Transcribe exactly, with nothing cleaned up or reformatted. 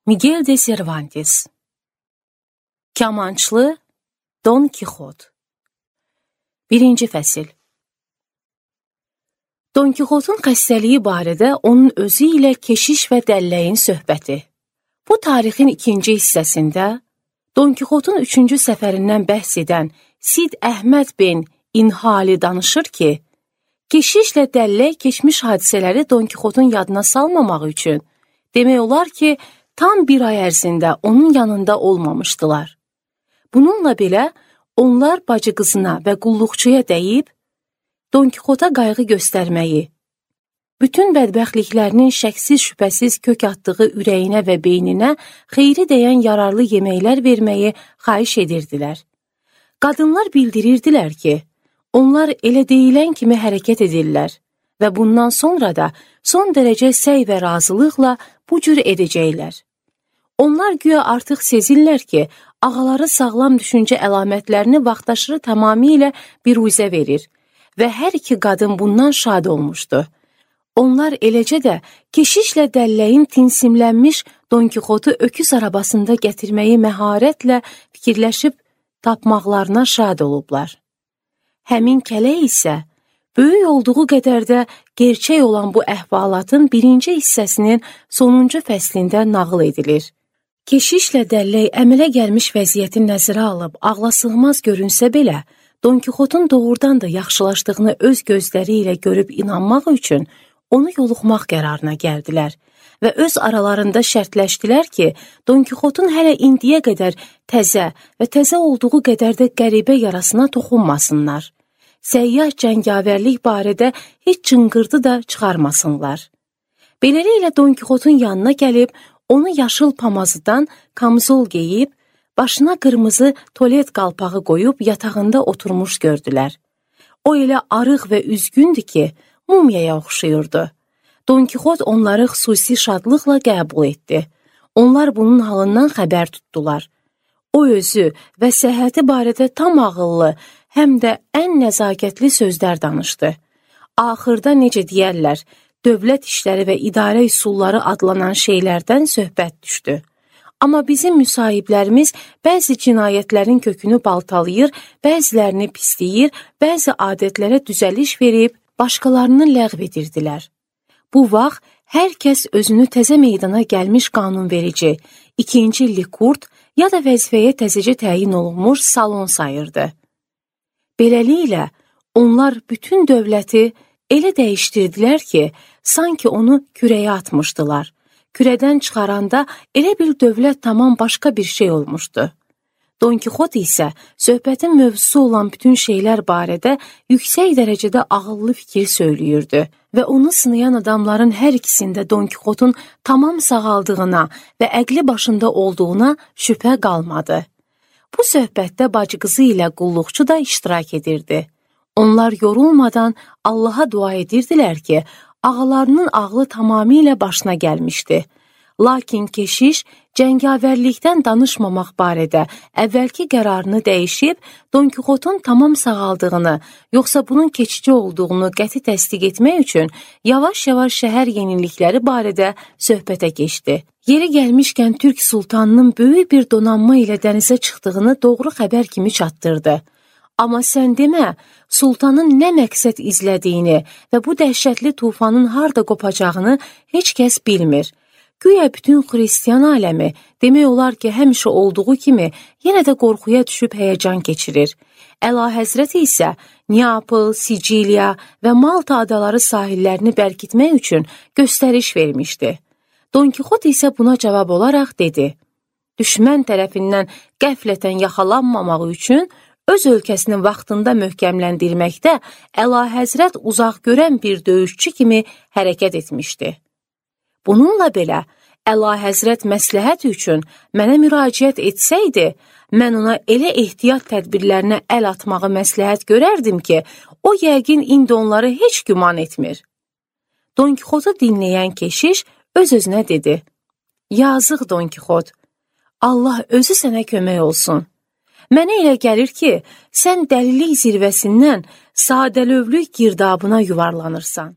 Miguel de Cervantes. Kamançlı Don Kixot. Birinci fəsil. Don Kixotun xəstəliyi barədə onun özü ilə keşiş və dəlləyin söhbəti. Bu tarixin ikinci hissəsində Don Kixotun üçüncü səfərindən bəhs edən Sid Əhməd bin İnhali danışır ki, keşişlə dəllək keçmiş hadisələri Don Kixotun yadına salmamaq üçün demək olar ki, tam bir ay ərzində onun yanında olmamışdılar. Bununla belə onlar bacı qızına və qulluqçuya dəyib, Don Kixota qayğı göstərməyi, bütün bədbəxtliklərinin şəksiz şübhəsiz kök atdığı ürəyinə və beyninə xeyri dəyən yararlı yeməklər verməyi xahiş edirdilər. Qadınlar bildirirdilər ki, onlar elə deyilən kimi hərəkət edirlər və bundan sonra da son dərəcə səy və razılıqla bu cür edəcəklər. Onlar güya artıq sezirlər ki, ağaları sağlam düşüncə əlamətlərini vaxtaşırı tamamilə biruzə verir və hər iki qadın bundan şad olmuşdu. Onlar eləcə də keşişlə dəlləyin tinsimlənmiş Don Kixotu öküz arabasında gətirməyi məharətlə fikirləşib tapmaqlarına şad olublar. Həmin kələk isə böyük olduğu qədər də gerçək olan bu əhvalatın birinci hissəsinin sonuncu fəslində nağıl edilir. Keşişlə dəllək əmələ gəlmiş vəziyyəti nəzərə alıb ağlasığmaz görünsə belə, Don Kixotun doğrudan da yaxşılaşdığını öz gözləri ilə görüb inanmaq üçün onu yoluxmaq qərarına gəldilər və öz aralarında şərtləşdilər ki, Don Kixotun hələ indiyə qədər təzə və təzə olduğu qədər də qəribə yarasına toxunmasınlar. Səyyah cəngavərlik barədə heç cınqırdı da çıxarmasınlar. Beləliklə Don Kixotun yanına gəlib, onu yaşıl pamazıdan kamzol geyib, başına qırmızı tolet qalpağı qoyub yatağında oturmuş gördülər. O elə arıq və üzgündür ki, mumyaya oxşayırdı. Don Kixot onları xüsusi şadlıqla qəbul etdi. Onlar bunun halından xəbər tutdular. O özü və səhhəti barədə tam ağıllı, həm də ən nəzakətli sözlər danışdı. Axırda necə deyərlər, dövlət işləri və idarə üsulları adlanan şeylərdən söhbət düşdü. Amma bizim müsahiblərimiz bəzi cinayətlərin kökünü baltalayır, bəzilərini pisləyir, bəzi adətlərə düzəliş verib, başqalarını ləğv edirdilər. Bu vaxt hər kəs özünü təzə meydana gəlmiş qanunverici, ikinci Likurt ya da vəzifəyə təzəcə təyin olunmuş salon sayırdı. Beləliklə, onlar bütün dövləti elə dəyişdirdilər ki, sanki onu kürəyə atmışdılar. Kürədən çıxaranda elə bir dövlət tamam başqa bir şey olmuşdu. Don Kixot isə söhbətin mövzusu olan bütün şeylər barədə yüksək dərəcədə ağıllı fikir söyləyirdi və onu sınayan adamların hər ikisində Don Kixotun tamam sağaldığına və əqli başında olduğuna şübhə qalmadı. Bu söhbətdə bacı qızı ilə qulluqçu da iştirak edirdi. Onlar yorulmadan Allaha dua edirdilər ki, ağalarının ağlı tamamilə başına gəlmişdi. Lakin keşiş cəngavərlikdən danışmamaq barədə əvvəlki qərarını dəyişib, Don Kixotun tamam sağaldığını, yoxsa bunun keçici olduğunu qəti təsdiq etmək üçün yavaş-yavaş şəhər yenilikləri barədə söhbətə keçdi. Yeri gəlmişkən Türk sultanının böyük bir donanma ilə dənizə çıxdığını doğru xəbər kimi çatdırdı. Amma sən demə, sultanın nə məqsəd izlədiyini və bu dəhşətli tufanın harda qopacağını heç kəs bilmir. Güya bütün xristiyan aləmi demək olar ki, həmişə olduğu kimi yenə də qorxuya düşüb həyəcan keçirir. Əlahəzrət isə Neapol, Siciliya və Malta adaları sahillərini bərkitmək üçün göstəriş vermişdi. Don Kixot isə buna cavab olaraq dedi, düşmən tərəfindən qəflətən yaxalanmamaq üçün öz ölkəsinin vaxtında möhkəmləndirməkdə Əlahəzrət uzaq görən bir döyüşçü kimi hərəkət etmişdi. Bununla belə, Əlahəzrət məsləhət üçün mənə müraciət etsəydi, mən ona elə ehtiyat tədbirlərinə əl atmağı məsləhət görərdim ki, o yəqin indi onları heç güman etmir. Don Kixotu dinləyən keşiş öz-özünə dedi, yazıq Don Kixot, Allah özü sənə kömək olsun. Mənə elə gəlir ki, sən dəlilik zirvəsindən sadəlövlük girdabına yuvarlanırsan.